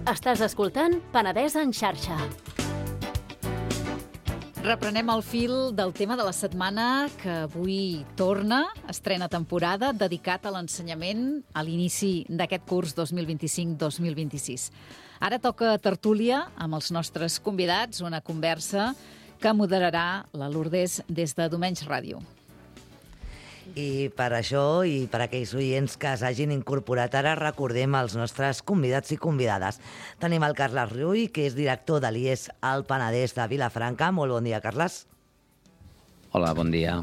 Estàs escoltant Penedès en xarxa. Reprenem el fil del tema de la setmana que avui torna, estrena temporada, dedicat a l'ensenyament a l'inici d'aquest curs 2025-2026. Ara toca tertúlia amb els nostres convidats, una conversa que moderarà la Lourdes des de Domenys Ràdio. I per això, i per aquells oients que s'hagin incorporat ara, recordem els nostres convidats i convidades. Tenim el Carles Rull, que és director de l'IES al Penedès de Vilafranca. Molt bon dia, Carles. Hola, bon dia.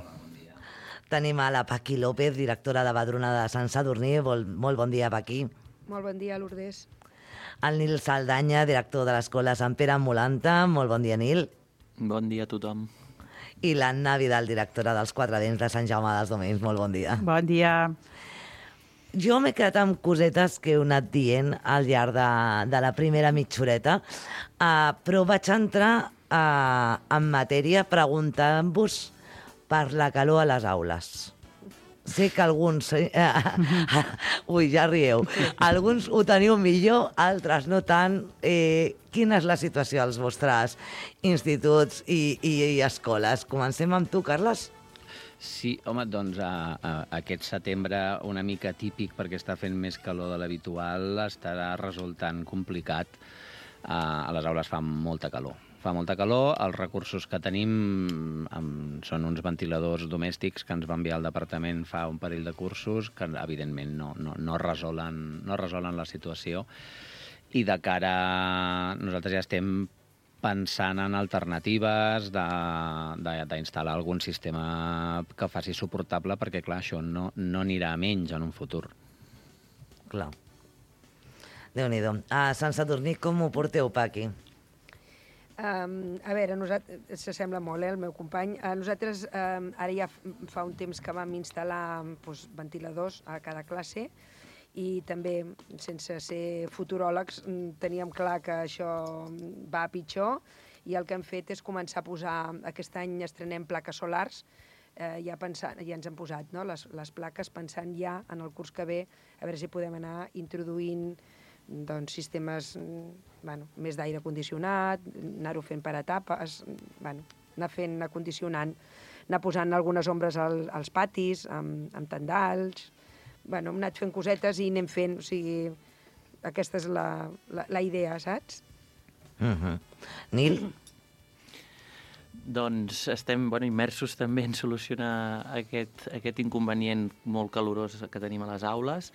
Tenim a la Paqui López, directora de Badruna de Sant Sadurní. Molt bon dia, Paqui. Molt bon dia, Lourdes. El Nil Saldanya, director de l'Escola Sant Pere Molanta. Molt bon dia, Nil. Bon dia a tothom. I l'Anna Vidal, directora dels Quatre Dents de Sant Jaume dels Domenys. Molt bon dia. Bon dia. Jo m'he quedat amb cosetes que heu anat dient al llarg de la primera mitjoreta, però vaig entrar en matèria preguntant-vos per la calor a les aules. Sé que alguns... Ui, ja rieu. Alguns ho teniu millor, altres no tant. Quina és la situació als vostres instituts i escoles? Comencem amb tu, Carles. Sí, home, doncs aquest setembre una mica típic perquè està fent més calor de l'habitual estarà resultant complicat. A les aules fa molta calor. Els recursos que tenim són uns ventiladors domèstics que ens va enviar el departament fa un parell de cursos que evidentment no resolen la situació i de cara nosaltres ja estem pensant en alternatives d'instal·lar algun sistema que faci suportable perquè clar, això no anirà a menys en un futur. Clar. Déu-n'hi-do. A Sant Sadurní com ho porteu, Paqui? A veure, s'assembla molt, el meu company. Nosaltres ara ja fa un temps que vam instal·lar ventiladors a cada classe i també, sense ser futuròlegs, teníem clar que això va a pitjor i el que hem fet és començar a posar, aquest any estrenem plaques solars, ja ens hem posat les plaques pensant ja en el curs que ve a veure si podem anar introduint sistemes més d'aire condicionat, anar-ho fent per etapes, anar condicionant, anar posant algunes ombres als patis, amb tendals. Hem anat fent cosetes i anem fent, o sigui, aquesta és la idea, saps? Nil? Doncs estem immersos també en solucionar aquest inconvenient molt calorós que tenim a les aules.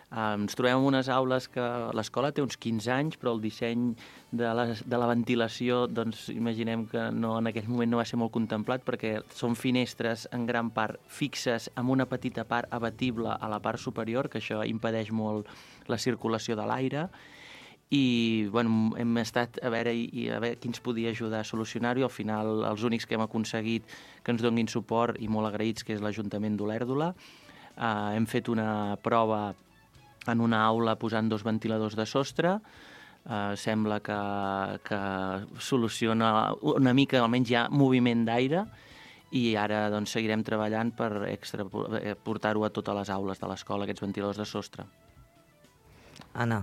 Ens trobem en unes aules que l'escola té uns 15 anys, però el disseny de la ventilació, doncs imaginem que en aquell moment no va ser molt contemplat perquè són finestres en gran part fixes amb una petita part abatible a la part superior, que això impedeix molt la circulació de l'aire. I hem estat a veure qui ens podia ajudar a solucionar-ho i al final els únics que hem aconseguit que ens donin suport i molt agraïts, que és l'Ajuntament d'Olèrdola. Hem fet una prova en una aula posant 2 ventiladors de sostre. Sembla que soluciona una mica, almenys hi ha moviment d'aire, i ara seguirem treballant per portar-ho a totes les aules de l'escola, aquests ventiladors de sostre. Anna.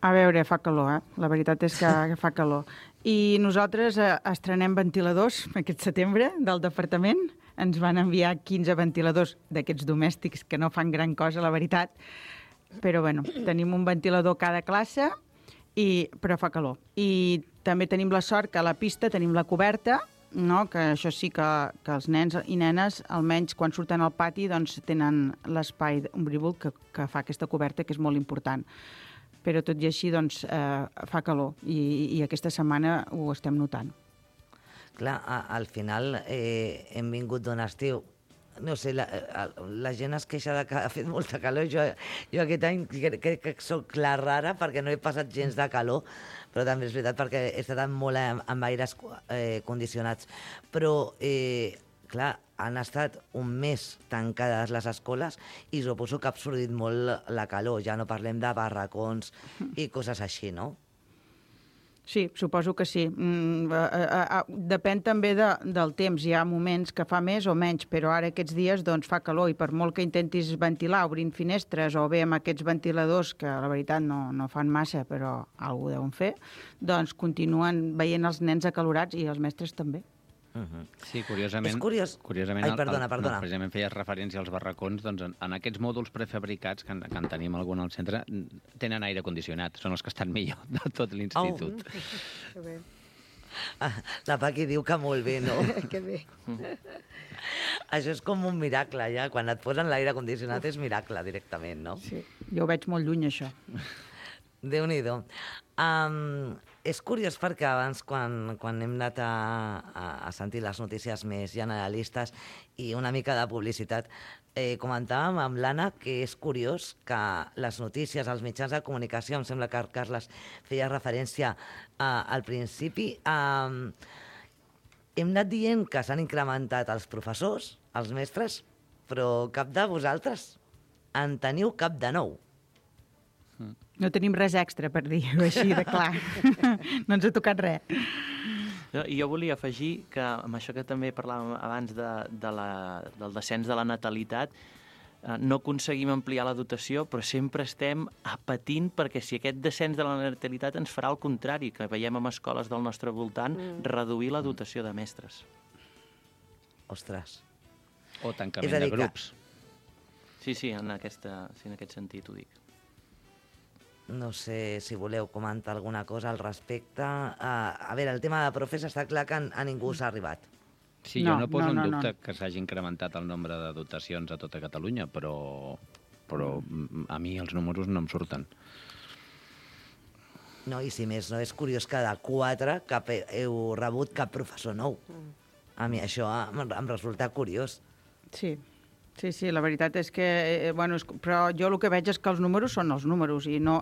A veure, fa calor, La veritat és que fa calor. I nosaltres estrenem ventiladors aquest setembre del departament. Ens van enviar 15 ventiladors d'aquests domèstics que no fan gran cosa, la veritat. Però, tenim un ventilador a cada classe, però fa calor. I també tenim la sort que a la pista tenim la coberta, que això sí que els nens i nenes, almenys quan surten al pati, tenen l'espai ombrívol que fa aquesta coberta, que és molt important. Però tot i així fa calor i aquesta setmana ho estem notant. Clar, al final hem vingut d'un estiu. No sé, la gent es queixa que ha fet molta calor. Jo aquest any crec que soc la rara perquè no he passat gens de calor, però també és veritat perquè he estat molt amb aires condicionats. Però, clar, han estat un mes tancades les escoles i suposo que ha absorbit molt la calor. Ja no parlem de barracons i coses així, no? Sí, suposo que sí. Depèn també del temps. Hi ha moments que fa més o menys, però ara aquests dies doncs, fa calor i per molt que intentis ventilar obrint finestres o bé amb aquests ventiladors, que la veritat no fan massa, però alguna deuen fer, doncs continuen veient els nens acalorats i els mestres també. Sí, curiosament... És curiós. Curiosament, Ai, perdona. No, precisament feies referència als barracons, doncs en aquests mòduls prefabricats, que en tenim algun al centre, tenen aire condicionat, són els que estan millor de tot l'institut. Que bé. La Paqui diu que molt bé, no? Que bé. Això és com un miracle, ja. Quan et posen l'aire condicionat és miracle, directament, no? Sí, jo ho veig molt lluny, això. Déu-n'hi-do. És curiós perquè abans, quan hem anat a sentir les notícies més generalistes i una mica de publicitat, comentàvem amb l'Anna que és curiós que les notícies, els mitjans de comunicació, em sembla que Carles feia referència al principi, hem anat dient que s'han incrementat els professors, els mestres, però cap de vosaltres en teniu cap de nou. No tenim res extra per dir-ho així de clar. No ens ha tocat res. I jo volia afegir que amb això que també parlàvem abans del descens de la natalitat, no aconseguim ampliar la dotació, però sempre estem patint perquè si aquest descens de la natalitat ens farà el contrari, que veiem en escoles del nostre voltant reduir la dotació de mestres. Ostres. O tancament de grups. Sí, en aquest sentit ho dic. No sé si voleu comentar alguna cosa al respecte. A veure, el tema de profes està clar que a ningú s'ha arribat. Sí, jo no poso en dubte que s'hagi incrementat el nombre de dotacions a tota Catalunya, però a mi els números no em surten. No, i si més no, és curiós que de 4 heu rebut cap professor nou. A mi això em resulta curiós. Sí, la veritat és que... però jo el que veig és que els números són els números i no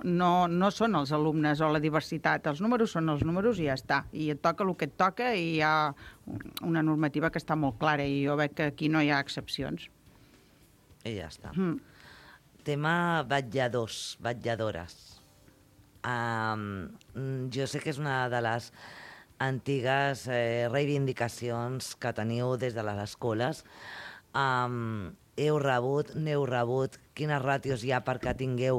són els alumnes o la diversitat. Els números són els números i ja està. I et toca el que et toca i hi ha una normativa que està molt clara i jo veig que aquí no hi ha excepcions. I ja està. Tema vetlladors, vetlladores. Jo sé que és una de les antigues reivindicacions que teniu des de les escoles. Heu rebut, n'heu rebut, quines ràtios hi ha perquè tingueu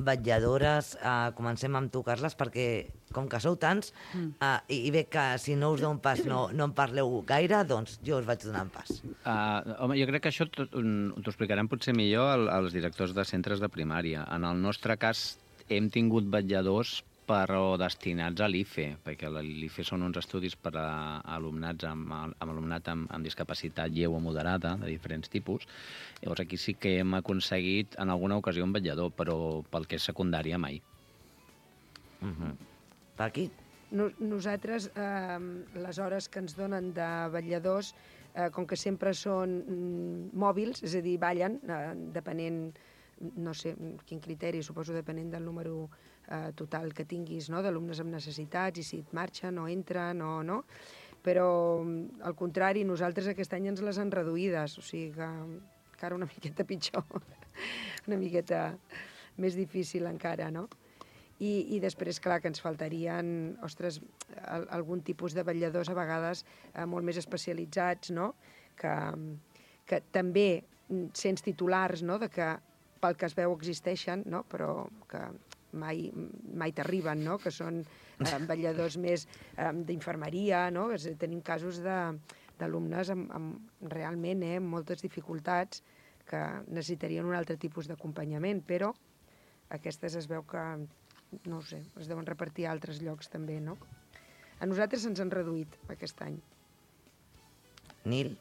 vetlladores? Comencem amb tu, Carles, perquè com que sou tants, i veig que si no us dono pas no en parleu gaire, doncs jo us vaig donant pas. Home, jo crec que això t'ho explicaran potser millor els directors de centres de primària. En el nostre cas hem tingut vetlladors però destinats a l'IFE, perquè l'IFE són uns estudis per a alumnat amb discapacitat lleu o moderada, de diferents tipus. Llavors aquí sí que hem aconseguit en alguna ocasió un vetllador, però pel que és secundària mai. Paqui? Nosaltres, les hores que ens donen de vetlladors, com que sempre són mòbils, és a dir, ballen, depenent, no sé quin criteri, suposo depenent del número total que tinguis, no?, d'alumnes amb necessitats i si et marxen o entren o no, però al contrari, nosaltres aquest any ens les han reduïdes, o sigui que encara una miqueta pitjor, una miqueta més difícil encara, no? I després, clar, que ens faltarien, ostres, algun tipus de vetlladors a vegades molt més especialitzats, no?, que també sents titulars, no?, de que pel que es veu existeixen, no?, però que mai t'arriben, no?, que són vetlladors més d'infermeria, no?, tenim casos d'alumnes amb realment moltes dificultats que necessitarien un altre tipus d'acompanyament, però aquestes es veu que, no ho sé, es deuen repartir a altres llocs també, no? A nosaltres se'ns han reduït aquest any. Nil?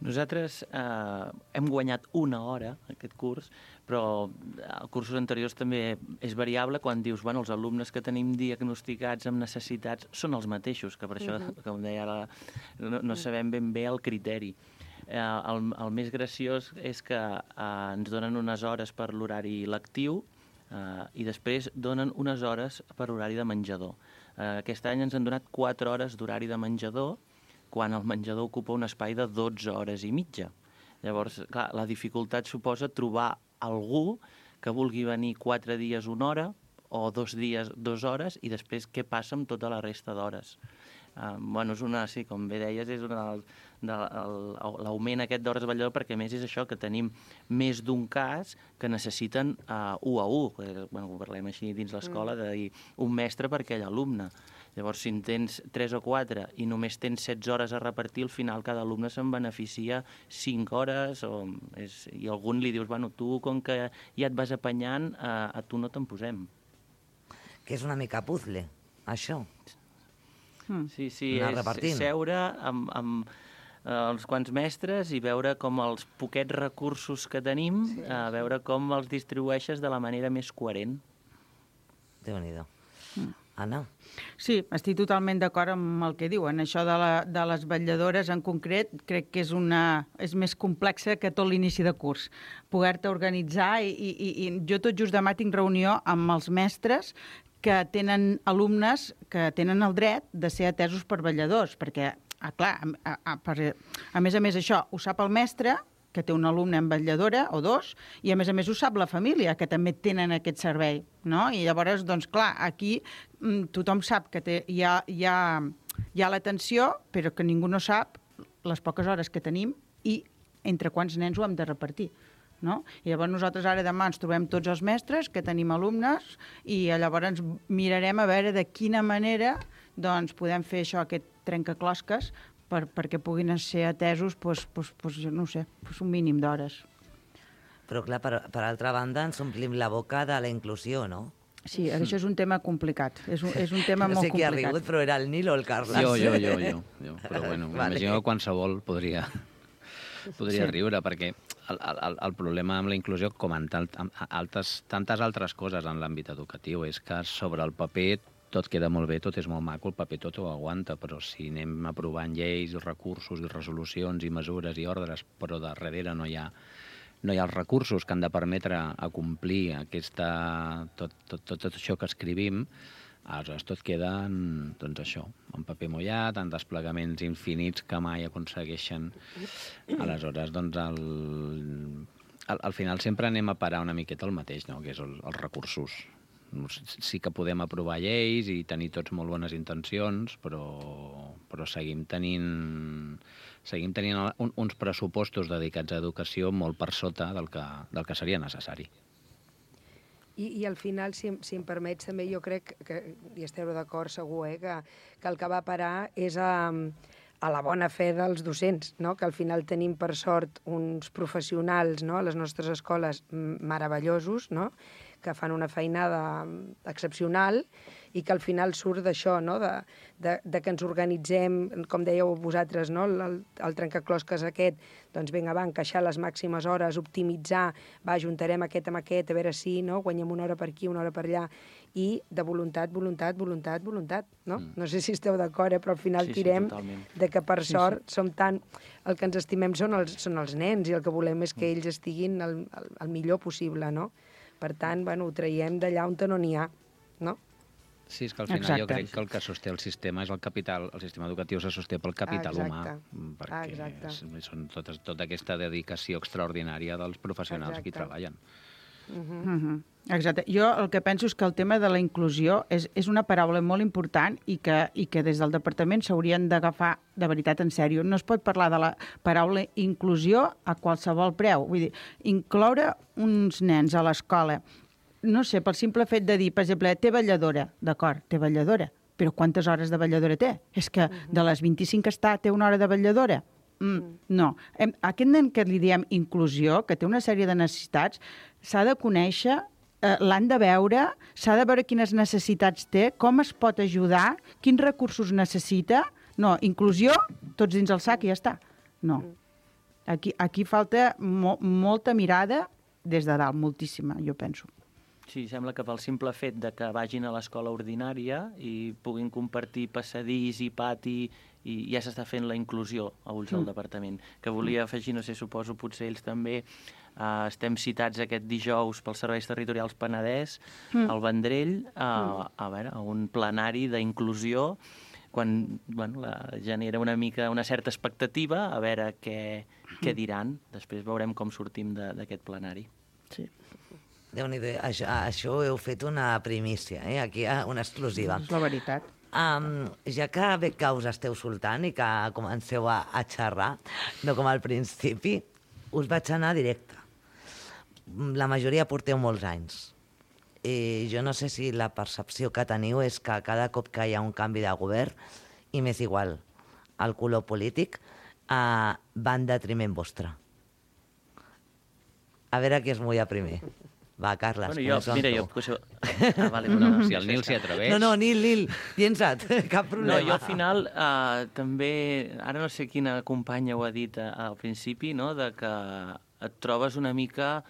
Nosaltres hem guanyat una hora aquest curs, però a cursos anteriors també és variable quan dius, bueno, els alumnes que tenim diagnosticats amb necessitats són els mateixos, que per això, com deia ara, no sabem ben bé el criteri. El més graciós és que ens donen unes hores per l'horari lectiu i després donen unes hores per horari de menjador. Aquest any ens han donat 4 hores d'horari de menjador, quan el menjador ocupa un espai de 12 hores i mitja. Llavors, clar, la dificultat suposa trobar algú que vulgui venir 4 dies una hora o 2 dies, 2 hores, i després què passa amb tota la resta d'hores. Bueno, és una, sí, com bé deies, és l'augment aquest d'hores de vetllador, perquè a més és això, que tenim més d'un cas que necessiten 1 a 1, bueno, ho parlem així dins l'escola, de dir un mestre per aquell alumne. Llavors, si en tens 3 o 4 i només tens 16 hores a repartir, al final cada alumne se'n beneficia 5 hores, i algun li dius, bueno, tu com que ja et vas apanyant, a tu no te'n posem. Que és una mica puzzle, això. Sí, Anar és seure amb els quants mestres i veure com els poquets recursos que tenim, veure com els distribueixes de la manera més coherent. Déu-n'hi-do. Anna? Sí, estic totalment d'acord amb el que diuen. Això de les vetlladores en concret crec que és més complexa que tot l'inici de curs. Poder-te organitzar i jo tot just demà tinc reunió amb els mestres que tenen alumnes que tenen el dret de ser atesos per vetlladors, perquè, clar, a més això, ho sap el mestre, que té un alumne en vetlladora, o 2, i a més ho sap la família, que també tenen aquest servei, no? I llavors, doncs, clar, aquí tothom sap que hi ha l'atenció, però que ningú no sap les poques hores que tenim i entre quants nens ho hem de repartir. No? I llavors nosaltres ara demà ens trobem tots els mestres que tenim alumnes i llavors ens mirarem a veure de quina manera doncs, podem fer això, aquest trencaclosques perquè puguin ser atesos jo no sé, un mínim d'hores. Però clar, per altra banda ens omplim la boca de la inclusió, no? Sí, això és un tema complicat. És un tema molt complicat. No sé qui ha rigut, però era el Nil o el Carles. Jo. Però bueno, m'imagino que qualsevol podria riure, perquè el problema amb la inclusió, com en tantes altres coses en l'àmbit educatiu, és que sobre el paper tot queda molt bé, tot és molt maco, el paper tot ho aguanta, però si anem aprovant lleis, recursos i resolucions i mesures i ordres, però darrere no hi ha els recursos que han de permetre acomplir tot això que escrivim, aleshores tot queda doncs això, en paper mullat, en desplegaments infinits que mai aconsegueixen. Aleshores, doncs, al final sempre anem a parar una miqueta el mateix, no? Que és els recursos. Sí que podem aprovar lleis i tenir tots molt bones intencions, però seguim tenint uns pressupostos dedicats a educació molt per sota del que seria necessari. I al final, si em permets, també jo crec que hi esteu d'acord segur, que el que va parar és a la bona fe dels docents, no? Que al final tenim per sort uns professionals, no? A les nostres escoles meravellosos, no? Que fan una feinada excepcional i que al final surt d'això, no? De que ens organitzem, com dèieu vosaltres, no? El trencaclosques aquest, doncs vinga, va, encaixar les màximes hores, optimitzar, va, ajuntarem aquest amb aquest, a veure si guanyem una hora per aquí, una hora per allà, i de voluntat, no? No sé si esteu d'acord, però al final tirem de que per sort som tant... El que ens estimem són els nens i el que volem és que ells estiguin el millor possible, no? Per tant, bueno, ho traiem d'allà on no n'hi ha, no? Sí, és que al final jo crec que el que sosté el sistema és el capital, el sistema educatiu se sosté pel capital humà, perquè són tota aquesta dedicació extraordinària dels professionals que hi treballen. Exacte. Jo el que penso és que el tema de la inclusió és una paraula molt important i que des del departament s'haurien d'agafar de veritat en sèrio. No es pot parlar de la paraula inclusió a qualsevol preu. Vull dir, incloure uns nens a l'escola, no sé, pel simple fet de dir, per exemple, té vetlladora, d'acord, té vetlladora, però quantes hores de vetlladora té? És que de les 25 que té una hora de vetlladora? No. Aquest nen que li diem inclusió, que té una sèrie de necessitats, s'ha de conèixer, l'han de veure, s'ha de veure quines necessitats té, com es pot ajudar, quins recursos necessita. No, inclusió, tots dins el sac i ja està. No. Aquí falta molta mirada des de dalt, moltíssima, jo penso. Sí, sembla que pel simple fet de que vagin a l'escola ordinària i puguin compartir passadís i pati i ja s'està fent la inclusió a ulls del departament. Que volia afegir, no sé, suposo potser ells també, estem citats aquest dijous pels serveis territorials Penedès, al Vendrell, a un plenari d'inclusió quan genera una certa expectativa a veure què diran. Després veurem com sortim d'aquest plenari. Sí. Déu-n'hi-do, això heu fet una primícia, aquí una exclusiva. És la veritat. Ja que bé que us esteu soltant i que comenceu a xerrar, no com al principi, us vaig anar directe. La majoria porteu molts anys. I jo no sé si la percepció que teniu és que cada cop que hi ha un canvi de govern, i m'és igual el color polític, va en detriment vostre. A veure qui es mulla primer. Va, Carles, vale, si el Nil s'hi atreveix... No, Nil, llença't, cap problema. No, jo al final també, ara no sé quina companya ho ha dit al principi, no?, de que et trobes una mica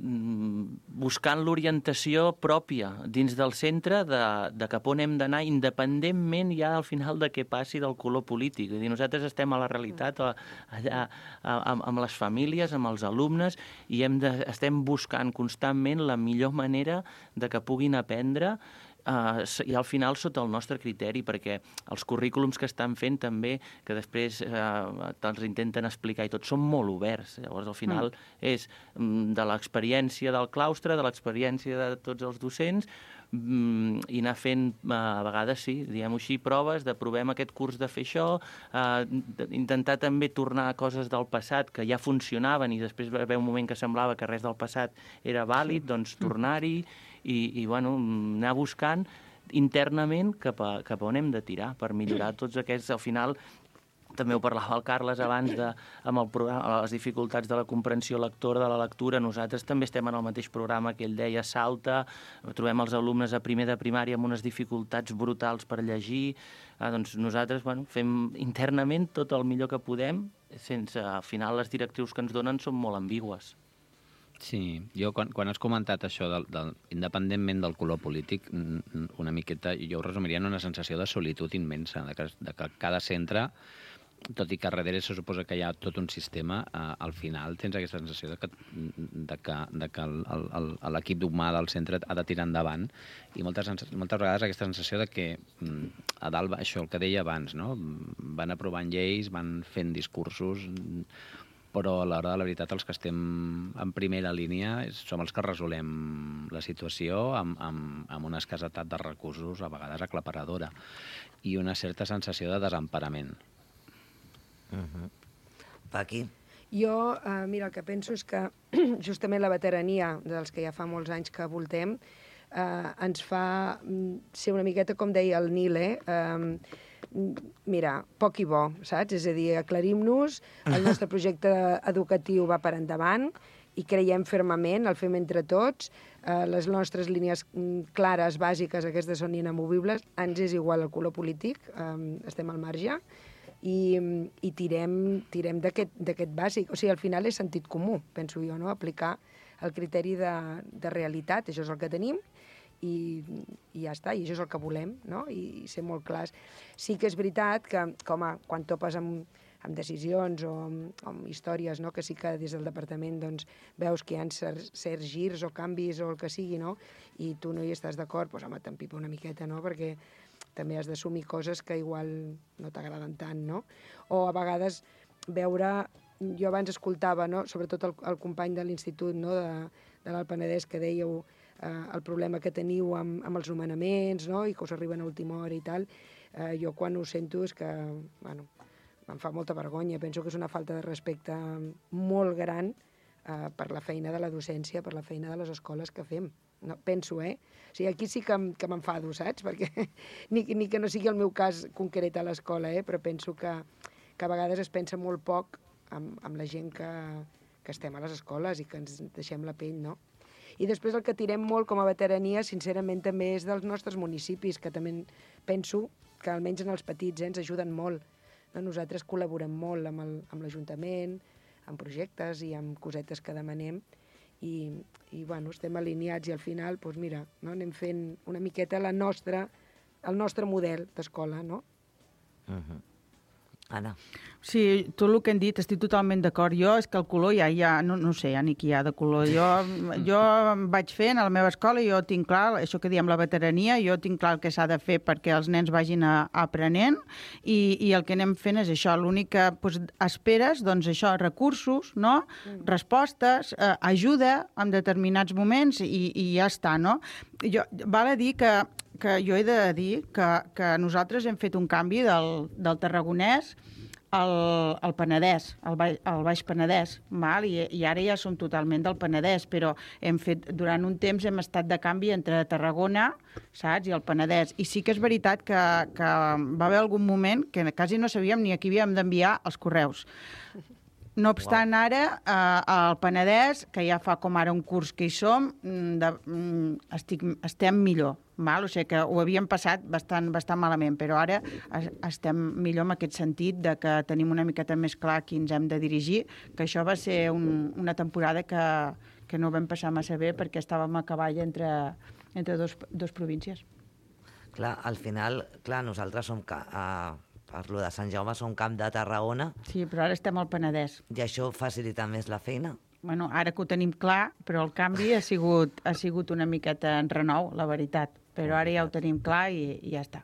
buscant l'orientació pròpia dins del centre de cap on hem d'anar, independentment ja al final de què passi del color polític. És a dir, nosaltres estem a la realitat allà amb les famílies, amb els alumnes, i estem buscant constantment la millor manera de que puguin aprendre i al final sota el nostre criteri, perquè els currículums que estan fent també, que després te'ls intenten explicar i tot, són molt oberts. Llavors, al final, és de l'experiència del claustre, de l'experiència de tots els docents, i anar fent, a vegades sí, diguem-ho així, proves de provem aquest curs de fer això, intentar també tornar a coses del passat que ja funcionaven i després va haver un moment que semblava que res del passat era vàlid, doncs tornar-hi i bueno, anar buscant internament cap a on hem de tirar per millorar tots aquests, al final. També ho parlava el Carles abans amb el programa, les dificultats de la comprensió lectora, de la lectura. Nosaltres també estem en el mateix programa que ell deia, Salta. Trobem els alumnes a primer de primària amb unes dificultats brutals per llegir. Doncs nosaltres fem internament tot el millor que podem, sense, al final, les directrius que ens donen són molt ambigües. Sí, jo quan has comentat això, independentment del color polític, una miqueta, jo ho resumiria en una sensació de solitud immensa, de que cada centre, tot i que darrere se suposa que hi ha tot un sistema, al final tens aquesta sensació de que l'equip humà del centre ha de tirar endavant, i moltes vegades aquesta sensació de que a dalt, això el que deia abans, no? Van aprovant lleis, van fent discursos, però a l'hora de la veritat els que estem en primera línia som els que resolem la situació amb una escassetat de recursos a vegades aclaparadora i una certa sensació de desemparament. Paqui? Jo, mira, el que penso és que justament la veterania dels que ja fa molts anys que voltem ens fa ser una miqueta, com deia el Nil, mira, poc i bo, saps? És a dir, aclarim-nos, el nostre projecte educatiu va per endavant i creiem fermament, el fem entre tots, les nostres línies clares, bàsiques, aquestes són inamovibles, ens és igual el color polític, estem al marge, i tirem d'aquest bàsic. O sigui, al final és sentit comú, penso jo, no? Aplicar el criteri de realitat, això és el que tenim, i ja està, i això és el que volem, no? I ser molt clars. Sí que és veritat que, quan topes amb decisions o amb històries, no? Que sí que des del departament doncs, veus que hi ha certs girs o canvis o el que sigui, no? I tu no hi estàs d'acord, doncs home, t'empipa una miqueta, no? Perquè també has d'assumir coses que igual no t'agraden tant, no? O a vegades veure... Jo abans escoltava, no? Sobretot el company de l'institut, no? de l'Alt Penedès, que dèieu el problema que teniu amb els nomenaments, no? I que us arriben a última hora i tal. Jo quan ho sento és que, bueno, em fa molta vergonya. Penso que és una falta de respecte molt gran per la feina de la docència, per la feina de les escoles que fem. No, penso, O sigui, aquí sí que m'enfado, saps? Perquè ni que no sigui el meu cas concret a l'escola, però penso que a vegades es pensa molt poc amb la gent que estem a les escoles i que ens deixem la pell, no? I després el que tirem molt com a veterania, sincerament, també és dels nostres municipis, que també penso que almenys en els petits ens ajuden molt. No? Nosaltres col·laborem molt amb l'Ajuntament, amb projectes i amb cosetes que demanem, i bueno, estem alineats i al final, doncs mira, no? Anem fent una miqueta el nostre model d'escola, no? Anna. Sí, tot el que hem dit, estic totalment d'acord. Jo és que el color no sé ja ni qui hi ha de color. Jo vaig fent a la meva escola, jo tinc clar, això que diem la veterania, jo tinc clar el que s'ha de fer perquè els nens vagin aprenent i el que anem fent és això. L'únic que esperes, doncs això, recursos, no? Respostes, ajuda en determinats moments i ja està, no? Val a dir que jo he de dir que nosaltres hem fet un canvi del tarragonès al Penedès, al Baix Penedès, val? I ara ja som totalment del Penedès, però durant un temps hem estat de canvi entre Tarragona, saps, i el Penedès. I sí que és veritat que va haver algun moment que quasi no sabíem ni a qui havíem d'enviar els correus. No obstant, ara, al Penedès, que ja fa com ara un curs que hi som, estem millor. Val? O sigui que ho havíem passat bastant malament, però ara estem millor en aquest sentit de que tenim una miqueta més clar a qui ens hem de dirigir, que això va ser una temporada que no vam passar massa bé perquè estàvem a cavall entre dos províncies. Clar, al final, nosaltres som... Parlo de Sant Jaume, som camp de Tarragona. Sí, però ara estem al Penedès. I això facilita més la feina? Bueno, ara que ho tenim clar, però el canvi ha sigut una miqueta en renou, la veritat. Però ara ja ho tenim clar i ja està.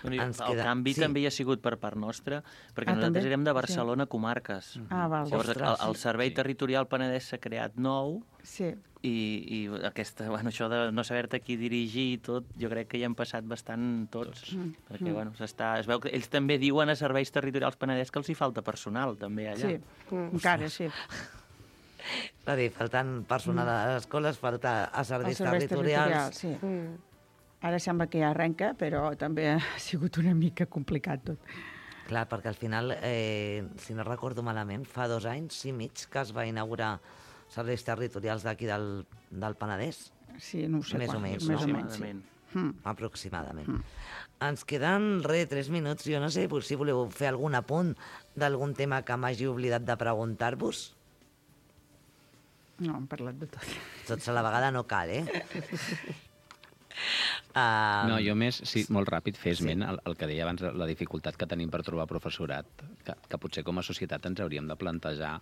El canvi també hi ha sigut per part nostra, perquè nosaltres érem de Barcelona comarques. Val. Llavors, el Servei Territorial Penedès s'ha creat nou, sí. I això de no saber-te qui dirigir i tot, jo crec que hi hem passat bastant tots. Perquè, es veu que ells també diuen a Serveis Territorials Penedès que els hi falta personal, també, allà. Sí, encara, sí. És a dir, faltant personal a les escoles, falta a serveis territorials. Sí. Ara sembla que ja arrenca, però també ha sigut una mica complicat tot. Clar, perquè al final, si no recordo malament, fa 2 anys i mig que es va inaugurar serveis territorials d'aquí del Penedès. Sí, no ho sé. Més o menys. Aproximadament. Ens queden 3 minuts. Jo no sé si voleu fer algun apunt d'algun tema que m'hagi oblidat de preguntar-vos. No, hem parlat de tot. Tots a la vegada no cal, No, jo més, sí, molt ràpid, fer esment el que deia abans, la dificultat que tenim per trobar professorat, que potser com a societat ens hauríem de plantejar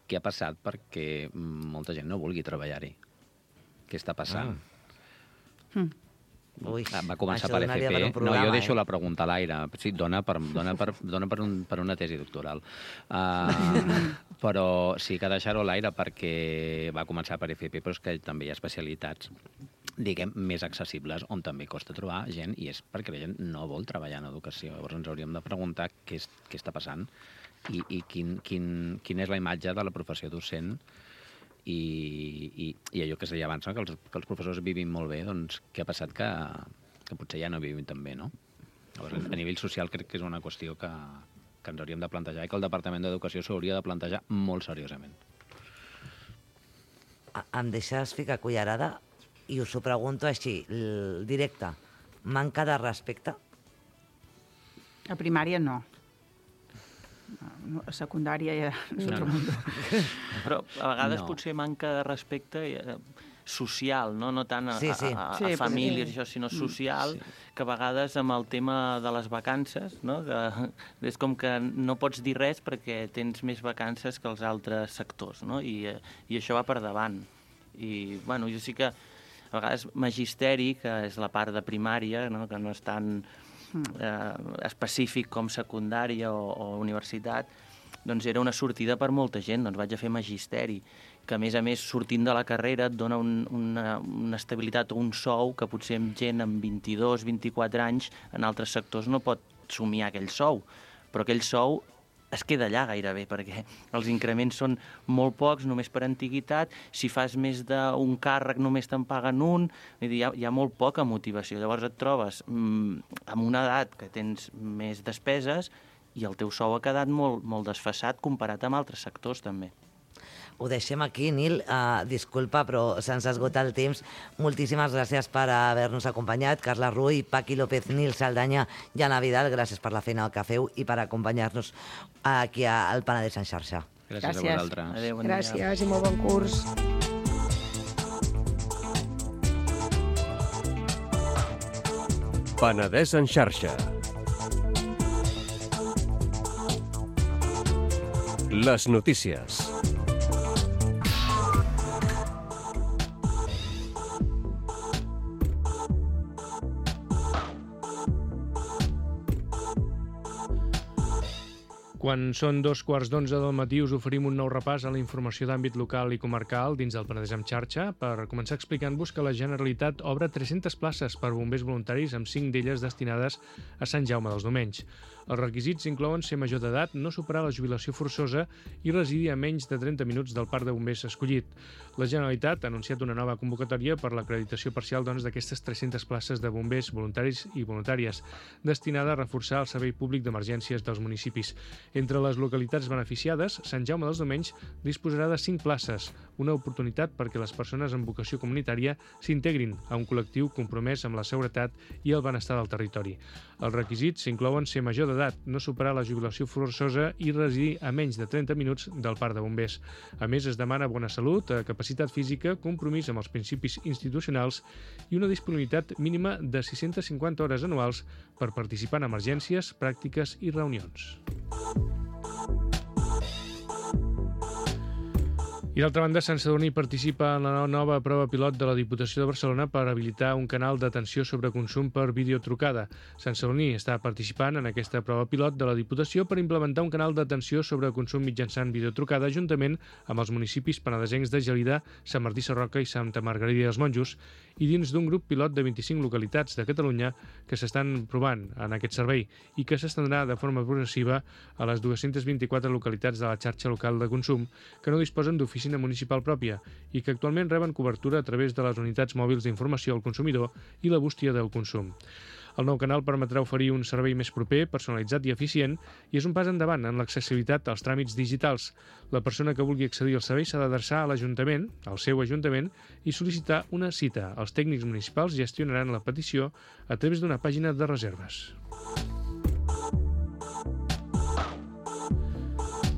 què ha passat perquè molta gent no vulgui treballar-hi. Què està passant? Va començar per FP. No, jo deixo la pregunta a l'aire. Sí, dona per una tesi doctoral. Però sí que deixar-ho a l'aire perquè va començar per FP, però és que també hi ha especialitats, diguem, més accessibles, on també costa trobar gent, i és perquè la gent no vol treballar en educació. Llavors ens hauríem de preguntar què està passant i quina és la imatge de la professió docent i allò que es deia abans, que els professors vivim molt bé, doncs què ha passat que potser ja no vivim tan bé, no? Llavors, a nivell social crec que és una qüestió que ens hauríem de plantejar i que el Departament d'Educació s'hauria de plantejar molt seriosament. Em deixes ficar cullerada i us ho pregunto així, directe. Manca de respecte? A primària no. A secundària ja és otro mundo. Però a vegades potser manca de respecte social, no tant a famílies, això, sinó social, que a vegades amb el tema de les vacances, no? Que és com que no pots dir res perquè tens més vacances que els altres sectors, no? I això va per davant. I, jo sí que a vegades magisteri, que és la part de primària, no? Que no és tan específic com secundària o universitat, doncs era una sortida per molta gent. Doncs vaig a fer magisteri, que a més sortint de la carrera et dona una estabilitat o un sou que potser amb gent amb 22, 24 anys en altres sectors no pot somiar aquell sou, però aquell sou es queda allà gairebé, perquè els increments són molt pocs, només per antiguitat. Si fas més d'un càrrec només te'n paguen un. Vull dir, hi ha molt poca motivació. Llavors et trobes amb una edat que tens més despeses i el teu sou ha quedat molt desfasat comparat amb altres sectors també. Ho deixem aquí, Nil. Disculpa, però se'ns esgota el temps. Moltíssimes gràcies per haver-nos acompanyat. Carla Rull, Paqui López, Nil Saldaña i Anna Vidal, gràcies per la feina que feu i per acompanyar-nos aquí al Penedès en xarxa. Gràcies a vosaltres. Adéu, bon dia. Gràcies i molt bon curs. Penedès en xarxa. Les notícies. Quan són 2:15 del matí us oferim un nou repàs a la informació d'àmbit local i comarcal dins del Penedès en xarxa per començar explicant-vos que la Generalitat obre 300 places per bombers voluntaris amb 5 d'elles destinades a Sant Jaume dels Domenys. Els requisits inclouen ser major d'edat, no superar la jubilació forçosa i residir a menys de 30 minuts del parc de bombers escollit. La Generalitat ha anunciat una nova convocatòria per l'acreditació parcial d'aquestes 300 places de bombers voluntaris i voluntàries, destinada a reforçar el servei públic d'emergències dels municipis. Entre les localitats beneficiades, Sant Jaume dels Domenys disposarà de 5 places, una oportunitat perquè les persones amb vocació comunitària s'integrin a un col·lectiu compromès amb la seguretat i el benestar del territori. Els requisits inclouen ser major d'edat, no superar la jubilació forçosa i residir a menys de 30 minuts del parc de bombers. A més, es demana bona salut, capacitat física, compromís amb els principis institucionals i una disponibilitat mínima de 650 hores anuals per participar en emergències, pràctiques i reunions. I d'altra banda, Sant Sadurní participa en la nova prova pilot de la Diputació de Barcelona per habilitar un canal d'atenció sobre consum per videotrucada. Sant Sadurní està participant en aquesta prova pilot de la Diputació per implementar un canal d'atenció sobre consum mitjançant videotrucada juntament amb els municipis penedesencs de Gelida, Sant Martí Sarroca i Santa Margarida dels Monjos i dins d'un grup pilot de 25 localitats de Catalunya que s'estan provant en aquest servei i que s'estendrà de forma progressiva a les 224 localitats de la xarxa local de consum que no disposen d'oficina municipal pròpia i que actualment reben cobertura a través de les unitats mòbils d'informació al consumidor i la bústia del consum. El nou canal permetrà oferir un servei més proper, personalitzat i eficient i és un pas endavant en l'accessibilitat als tràmits digitals. La persona que vulgui accedir al servei s'ha d'adreçar a l'Ajuntament, al seu Ajuntament, i sol·licitar una cita. Els tècnics municipals gestionaran la petició a través d'una pàgina de reserves.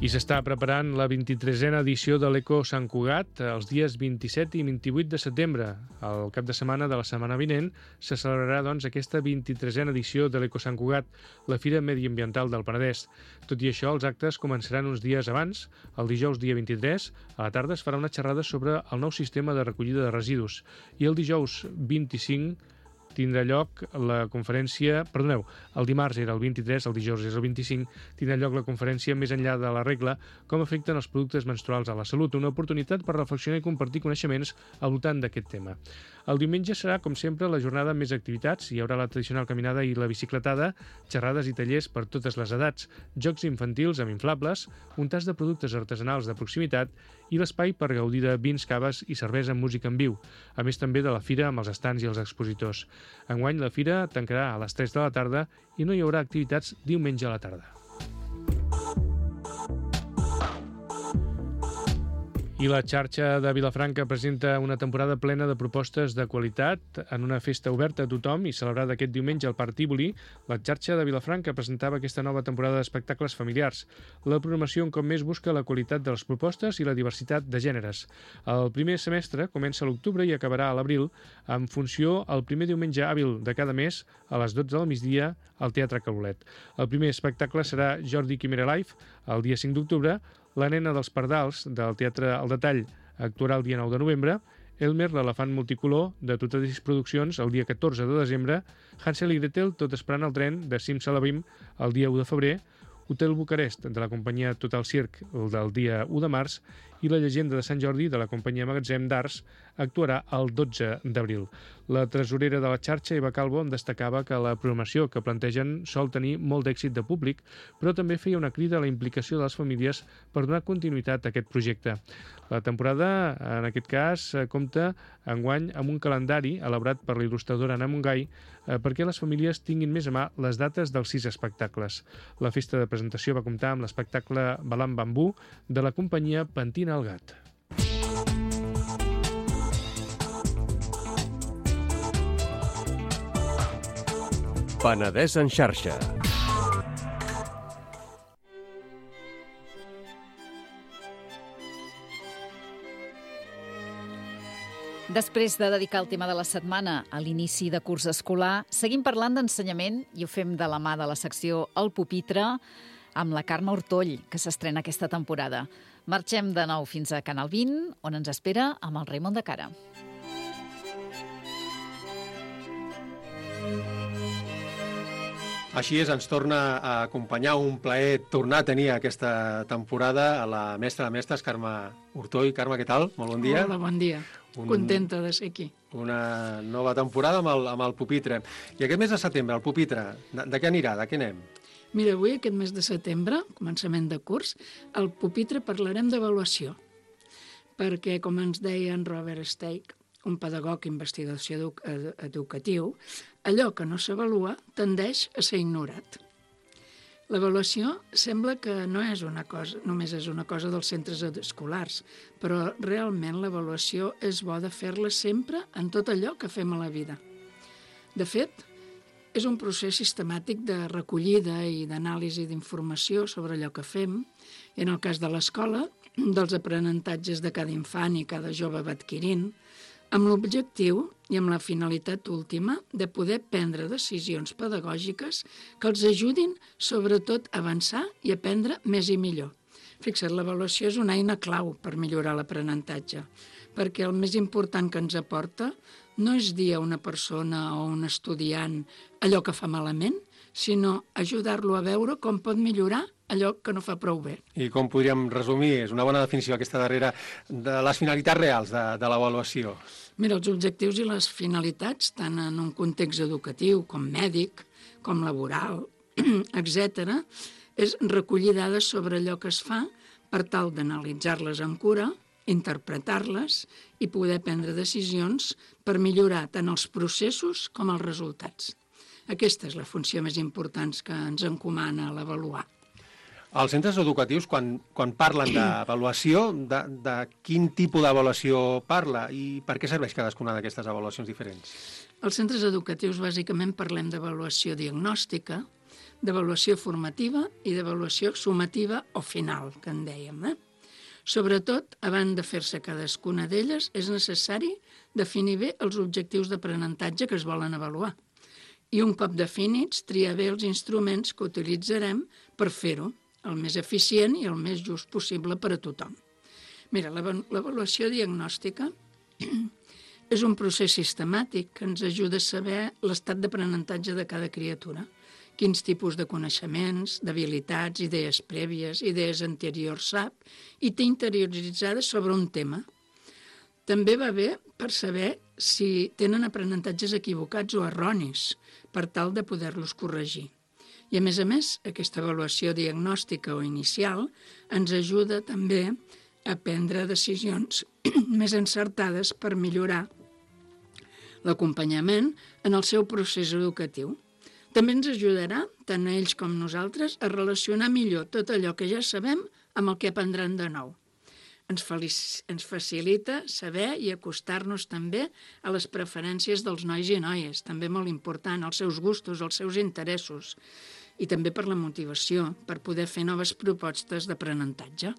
I s'està preparant la 23a edició de l'Eco Sant Cugat els dies 27 i 28 de setembre. Al cap de setmana de la setmana vinent se celebrarà aquesta 23a edició de l'Eco Sant Cugat, la Fira Mediambiental del Penedès. Tot i això, els actes començaran uns dies abans. El dijous dia 23, a la tarda es farà una xerrada sobre el nou sistema de recollida de residus. I el dijous 25 tindrà lloc la conferència... Perdoneu, el dimarts era el 23, el dijous és el 25, tindrà lloc la conferència Més enllà de la regla, com afecten els productes menstruals a la salut, una oportunitat per reflexionar i compartir coneixements al voltant d'aquest tema. El diumenge serà, com sempre, la jornada amb més activitats. Hi haurà la tradicional caminada i la bicicletada, xerrades i tallers per totes les edats, jocs infantils amb inflables, un tas de productes artesanals de proximitat i l'espai per gaudir de vins, caves i cervesa amb música en viu, a més també de la fira amb els estants i els expositors. Enguany la fira tancarà a les 3 de la tarda i no hi haurà activitats diumenge a la tarda. I la xarxa de Vilafranca presenta una temporada plena de propostes de qualitat en una festa oberta a tothom i celebrada aquest diumenge al Parc Tívoli. La xarxa de Vilafranca presentava aquesta nova temporada d'espectacles familiars. La programació un cop més busca la qualitat de les propostes i la diversitat de gèneres. El primer semestre comença a l'octubre i acabarà a l'abril, en funció el primer diumenge hàbil de cada mes a les 12 del migdia al Teatre Calolet. El primer espectacle serà Jordi Quimera Live el dia 5 d'octubre, La nena dels pardals, del Teatre El Detall, actuarà el dia 9 de novembre, Elmer, l'elefant multicolor, de Tutadis Produccions, el dia 14 de desembre, Hansel i Gretel, tot esperant el tren, de Simsalabim, el dia 1 de febrer, Hotel Bucarest, de la companyia Total Circ, el del dia 1 de març, i La llegenda de Sant Jordi, de la companyia Magatzem d'Arts, actuarà el 12 d'abril. La tresorera de la xarxa, Eva Calvo, en destacava que la programació que plantegen sol tenir molt d'èxit de públic, però també feia una crida a la implicació de les famílies per donar continuïtat a aquest projecte. La temporada, en aquest cas, compta enguany amb un calendari elaborat per la il·lustradora Anna Montgai perquè les famílies tinguin més a mà les dates dels 6 espectacles. La festa de presentació va comptar amb l'espectacle Balam Bambú de la companyia Pentina el Gat. Penedès en xarxa. Després de dedicar el tema de la setmana a l'inici de curs escolar, seguim parlant d'ensenyament i ho fem de la mà de la secció El Pupitre, amb la Carme Hortoll, que s'estrena aquesta temporada. Marxem de nou fins a Canal 20, on ens espera amb el Raimon de Cara. Així és, ens torna a acompanyar, un plaer tornar a tenir aquesta temporada a la mestra de mestres, Carme Hortoll. Carme, què tal? Molt bon dia. Hola, bon dia. Contenta de ser aquí. Una nova temporada amb el pupitre. I aquest mes de setembre, el pupitre, de què anirà? De què anem? Mira, avui, aquest mes de setembre, començament de curs, al pupitre parlarem d'avaluació. Perquè, com ens deia en Robert Steig, un pedagog investigació educatiu, allò que no s'avalua tendeix a ser ignorat. L'avaluació sembla que no és una cosa, només és una cosa dels centres escolars, però realment l'avaluació és bo de fer-la sempre en tot allò que fem a la vida. De fet, és un procés sistemàtic de recollida i d'anàlisi d'informació sobre allò que fem, i en el cas de l'escola, dels aprenentatges de cada infant i cada jove va adquirint, amb l'objectiu i amb la finalitat última de poder prendre decisions pedagògiques que els ajudin, sobretot, a avançar i aprendre més i millor. Fixa't, l'avaluació és una eina clau per millorar l'aprenentatge, perquè el més important que ens aporta no és dir a una persona o un estudiant allò que fa malament, sinó ajudar-lo a veure com pot millorar allò que no fa prou bé. I com podríem resumir? És una bona definició aquesta darrera de les finalitats reals de l'avaluació. Mira, els objectius i les finalitats, tant en un context educatiu com mèdic, com laboral, etc., és recollir dades sobre allò que es fa per tal d'analitzar-les amb cura, interpretar-les i poder prendre decisions per millorar tant els processos com els resultats. Aquesta és la funció més important que ens encomana l'avaluar. Els centres educatius, quan parlen d'avaluació, de quin tipus d'avaluació parla i per què serveix cadascuna d'aquestes avaluacions diferents? Als centres educatius, bàsicament, parlem d'avaluació diagnòstica, d'avaluació formativa i d'avaluació sumativa o final, que en dèiem. Sobretot, abans de fer-se cadascuna d'elles, és necessari definir bé els objectius d'aprenentatge que es volen avaluar. I un cop definits, triar bé els instruments que utilitzarem per fer-ho, el més eficient i el més just possible per a tothom. Mira, l'avaluació diagnòstica és un procés sistemàtic que ens ajuda a saber l'estat d'aprenentatge de cada criatura, quins tipus de coneixements, d'habilitats, idees prèvies, idees anteriors sap i té interioritzades sobre un tema. També va bé per saber si tenen aprenentatges equivocats o erronis, per tal de poder-los corregir. I, a més, aquesta avaluació diagnòstica o inicial ens ajuda també a prendre decisions més encertades per millorar l'acompanyament en el seu procés educatiu. També ens ajudarà, tant a ells com nosaltres, a relacionar millor tot allò que ja sabem amb el que aprendran de nou. Ens facilita saber i acostar-nos també a les preferències dels nois i noies, també molt important, els seus gustos, els seus interessos, i també per la motivació, per poder fer noves propostes d'aprenentatge.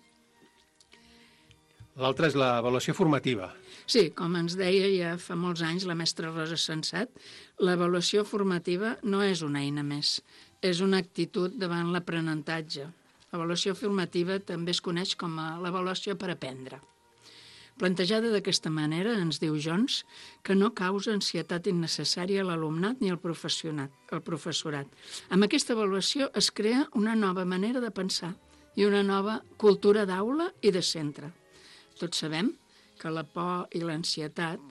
L'altra és l'avaluació formativa. Sí, com ens deia ja fa molts anys la mestra Rosa Sensat, l'avaluació formativa no és una eina més, és una actitud davant l'aprenentatge. L'avaluació formativa també es coneix com a l'avaluació per aprendre. Plantejada d'aquesta manera, ens diu Jones, que no causa ansietat innecessària a l'alumnat ni al professorat. Amb aquesta avaluació es crea una nova manera de pensar i una nova cultura d'aula i de centre. Tots sabem que la por i l'ansietat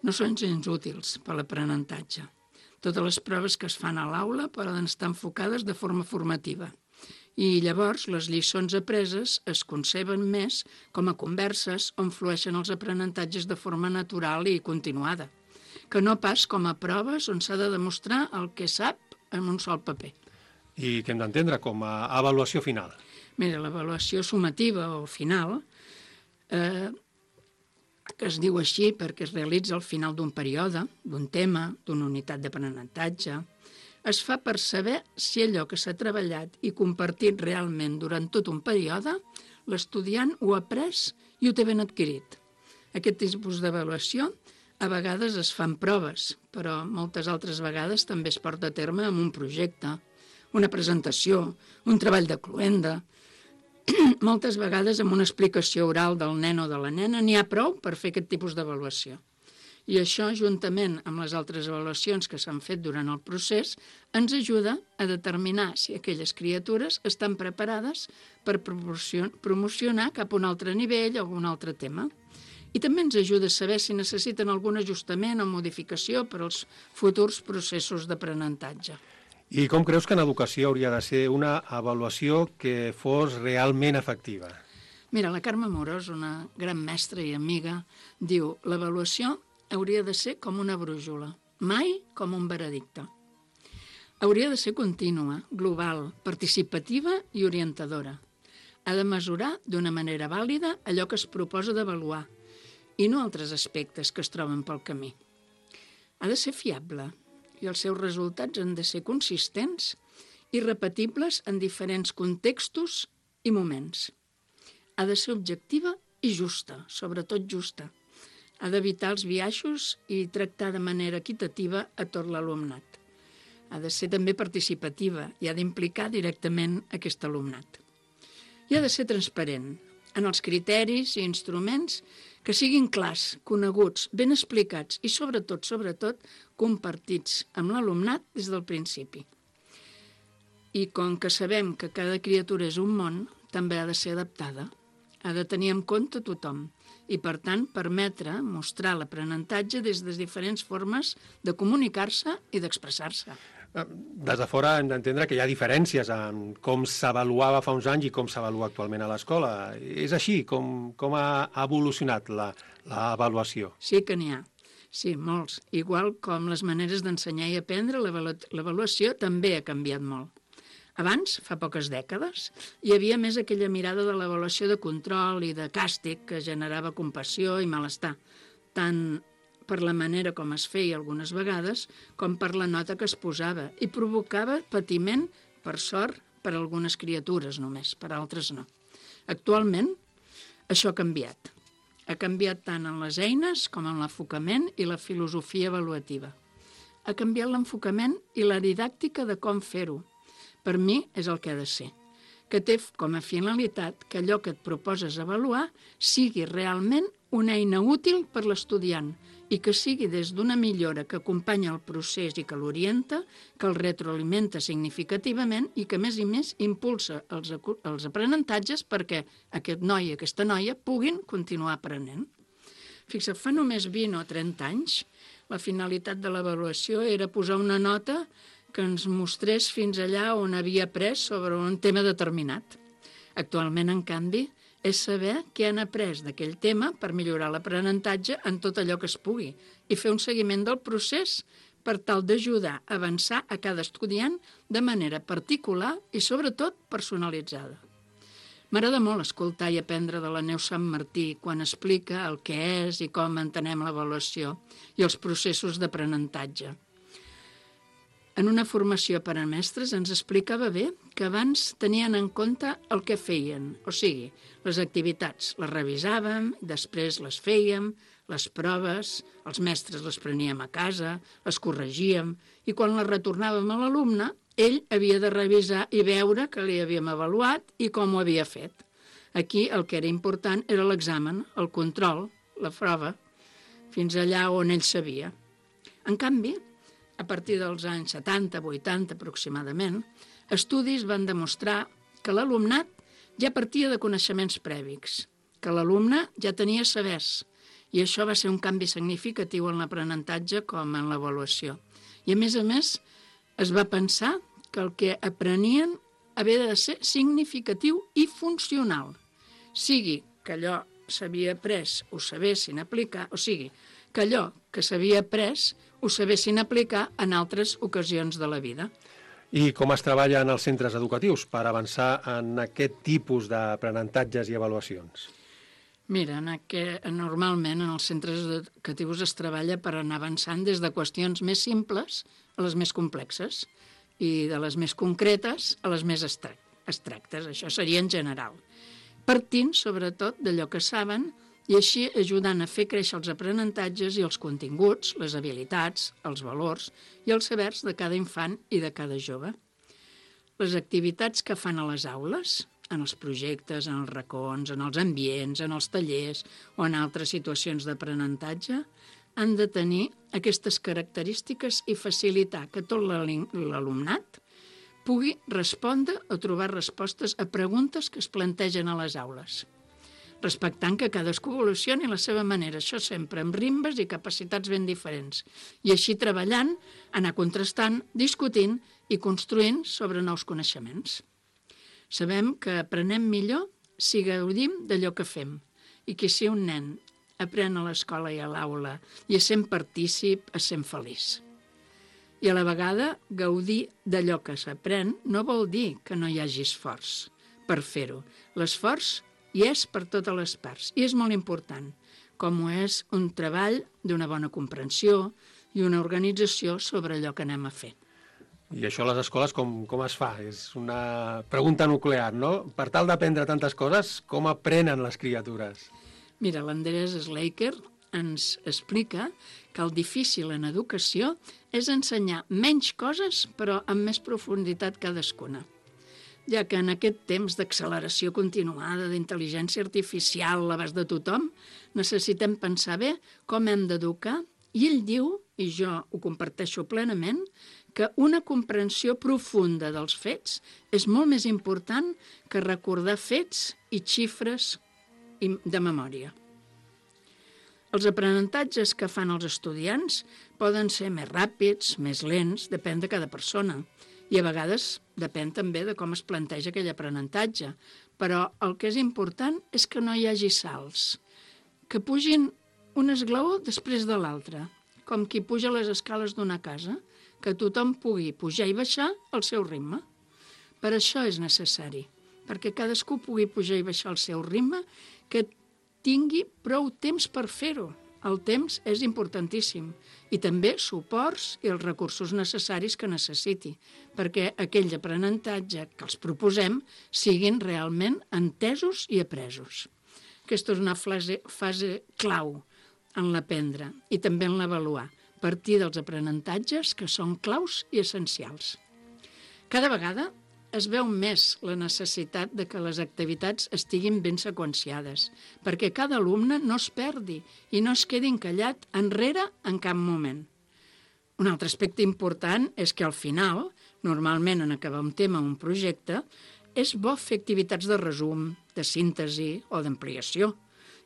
no són gens útils per a l'aprenentatge. Totes les proves que es fan a l'aula poden estar enfocades de forma formativa. I llavors les lliçons apreses es conceben més com a converses on flueixen els aprenentatges de forma natural i continuada, que no pas com a proves on s'ha de demostrar el que sap en un sol paper. I què hem d'entendre com a avaluació final? Mira, l'avaluació sumativa o final, que es diu així perquè es realitza al final d'un període, d'un tema, d'una unitat d'aprenentatge, es fa per saber si allò que s'ha treballat i compartit realment durant tot un període, l'estudiant ho ha après i ho té ben adquirit. Aquest tipus d'avaluació a vegades es fan proves, però moltes altres vegades també es porta a terme amb un projecte, una presentació, un treball de cloenda. Moltes vegades amb una explicació oral del nen o de la nena n'hi ha prou per fer aquest tipus d'avaluació. I això, juntament amb les altres avaluacions que s'han fet durant el procés, ens ajuda a determinar si aquelles criatures estan preparades per promocionar cap a un altre nivell o algun altre tema. I també ens ajuda a saber si necessiten algun ajustament o modificació per als futurs processos d'aprenentatge. I com creus que en educació hauria de ser una avaluació que fos realment efectiva? Mira, la Carme Amorós, una gran mestra i amiga, diu: l'avaluació hauria de ser com una brújula, mai com un veredicte. Hauria de ser contínua, global, participativa i orientadora. Ha de mesurar d'una manera vàlida allò que es proposa d'avaluar i no altres aspectes que es troben pel camí. Ha de ser fiable i els seus resultats han de ser consistents i repetibles en diferents contextos i moments. Ha de ser objectiva i justa, sobretot justa. Ha d'evitar els biaixos i tractar de manera equitativa a tot l'alumnat. Ha de ser també participativa i ha d'implicar directament aquest alumnat. I ha de ser transparent en els criteris i instruments que siguin clars, coneguts, ben explicats i sobretot compartits amb l'alumnat des del principi. I com que sabem que cada criatura és un món, també ha de ser adaptada. Ha de tenir en compte tothom i, per tant, permetre mostrar l'aprenentatge des de diferents formes de comunicar-se i d'expressar-se. Des de fora hem d'entendre que hi ha diferències en com s'avaluava fa uns anys i com s'avalua actualment a l'escola. És així com ha evolucionat l'avaluació? Sí que n'hi ha. Sí, molts. Igual com les maneres d'ensenyar i aprendre, l'avaluació també ha canviat molt. Abans, fa poques dècades, hi havia més aquella mirada de l'avaluació de control i de càstig que generava compassió i malestar, tant per la manera com es feia algunes vegades, com per la nota que es posava, i provocava patiment, per sort, per a algunes criatures només, per altres no. Actualment, això ha canviat. Ha canviat tant en les eines com en l'enfocament i la filosofia avaluativa. Ha canviat l'enfocament i la didàctica de com fer-ho. Per mi és el que ha de ser, que té com a finalitat que allò que et proposes avaluar sigui realment una eina útil per l'estudiant i que sigui des d'una millora que acompanya el procés i que l'orienta, que el retroalimenta significativament i que, més i més, impulsa els aprenentatges perquè aquest noi i aquesta noia puguin continuar aprenent. Fixa't, fa només 20 o 30 anys, la finalitat de l'avaluació era posar una nota que ens mostrés fins allà on havia après sobre un tema determinat. Actualment, en canvi, és saber què han après d'aquell tema per millorar l'aprenentatge en tot allò que es pugui i fer un seguiment del procés per tal d'ajudar a avançar a cada estudiant de manera particular i, sobretot, personalitzada. M'agrada molt escoltar i aprendre de la Neus Sant Martí quan explica el que és i com entenem l'avaluació i els processos d'aprenentatge. En una formació per a mestres ens explicava bé que abans tenien en compte el que feien, o sigui, les activitats les revisàvem, després les fèiem, les proves, els mestres les preníem a casa, les corregíem, i quan les retornàvem a l'alumne, ell havia de revisar i veure que li havíem avaluat i com ho havia fet. Aquí el que era important era l'examen, el control, la prova, fins allà on ell sabia. En canvi, a partir dels anys 70-80 aproximadament, estudis van demostrar que l'alumnat ja partia de coneixements prèvics, que l'alumne ja tenia sabers, i això va ser un canvi significatiu en l'aprenentatge com en l'avaluació. I a més, es va pensar que el que aprenien havia de ser significatiu i funcional, sigui que allò s'havia après ho sabessin aplicar, o sigui, que allò que s'havia après ho sabessin aplicar en altres ocasions de la vida. I com es treballa en els centres educatius per avançar en aquest tipus d'aprenentatges i avaluacions? Mira, normalment en els centres educatius es treballa per anar avançant des de qüestions més simples a les més complexes i de les més concretes a les més abstractes. Això seria en general. Partint, sobretot, d'allò que saben i així ajudant a fer créixer els aprenentatges i els continguts, les habilitats, els valors i els sabers de cada infant i de cada jove. les activitats que fan a les aules, en els projectes, en els racons, en els ambients, en els tallers o en altres situacions d'aprenentatge, han de tenir aquestes característiques i facilitar que tot l'alumnat pugui respondre o trobar respostes a preguntes que es plantegen a les aules, respectant que cadascú evolucioni a la seva manera, això sempre amb rimbes i capacitats ben diferents, i així treballant, anar contrastant, discutint i construint sobre nous coneixements. Sabem que aprenem millor si gaudim d'allò que fem i que si un nen aprèn a l'escola i a l'aula i essent partícip, essent feliç. I a la vegada, gaudir d'allò que s'aprèn no vol dir que no hi hagi esforç per fer-ho. L'esforç hi és per totes les parts i és molt important, com ho és un treball d'una bona comprensió i una organització sobre allò que anem a fer. I això a les escoles com es fa? És una pregunta nuclear, no? Per tal d'aprendre tantes coses, com aprenen les criatures? Mira, l'Andrés Schleicher ens explica que el difícil en educació és ensenyar menys coses, però amb més profunditat cadascuna. Ja que en aquest temps d'acceleració continuada, d'intel·ligència artificial a l'abast de tothom, necessitem pensar bé com hem d'educar, i ell diu, i jo ho comparteixo plenament, que una comprensió profunda dels fets és molt més important que recordar fets i xifres de memòria. Els aprenentatges que fan els estudiants poden ser més ràpids, més lents, depèn de cada persona, i a vegades depèn també de com es planteja aquell aprenentatge. Però el que és important és que no hi hagi salts, que pugin un esglaó després de l'altre, com qui puja les escales d'una casa, que tothom pugui pujar i baixar al seu ritme. Per això és necessari, perquè cadascú pugui pujar i baixar al seu ritme, que tingui prou temps per fer-ho. El temps és importantíssim, i també suports i els recursos necessaris que necessiti, perquè aquell aprenentatge que els proposem siguin realment entesos i apresos. Aquesta és una fase clau en l'aprendre i també en l'avaluar, partir dels aprenentatges que són claus i essencials. Cada vegada es veu més la necessitat de que les activitats estiguin ben seqüenciades, perquè cada alumne no es perdi i no es quedi encallat enrere en cap moment. Un altre aspecte important és que al final, normalment en acabar un tema o un projecte, és bo fer activitats de resum, de síntesi o d'ampliació,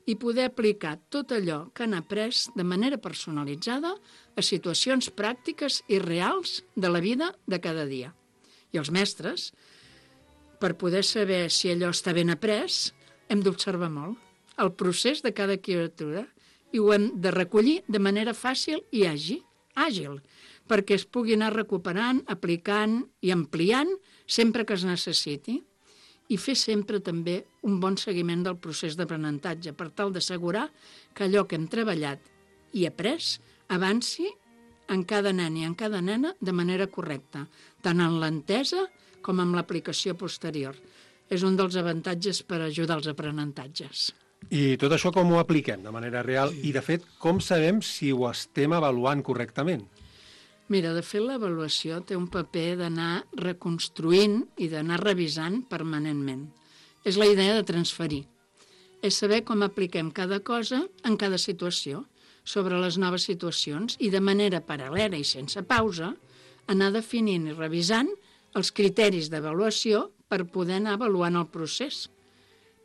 i poder aplicar tot allò que han après de manera personalitzada a situacions pràctiques i reals de la vida de cada dia. I els mestres, per poder saber si allò està ben après, hem d'observar molt el procés de cada criatura i ho hem de recollir de manera fàcil i àgil, perquè es pugui anar recuperant, aplicant i ampliant sempre que es necessiti. I fer sempre també un bon seguiment del procés d'aprenentatge per tal d'assegurar que allò que hem treballat i après avanci en cada nen i en cada nena de manera correcta, tant en l'entesa com en l'aplicació posterior. És un dels avantatges per ajudar als aprenentatges. I tot això com ho apliquem de manera real? I, de fet, com sabem si ho estem avaluant correctament? Mira, de fet, l'avaluació té un paper d'anar reconstruint i d'anar revisant permanentment. És la idea de transferir. És saber com apliquem cada cosa en cada situació, sobre les noves situacions, i de manera paral·lela i sense pausa, anar definint i revisant els criteris d'avaluació per poder anar avaluant el procés.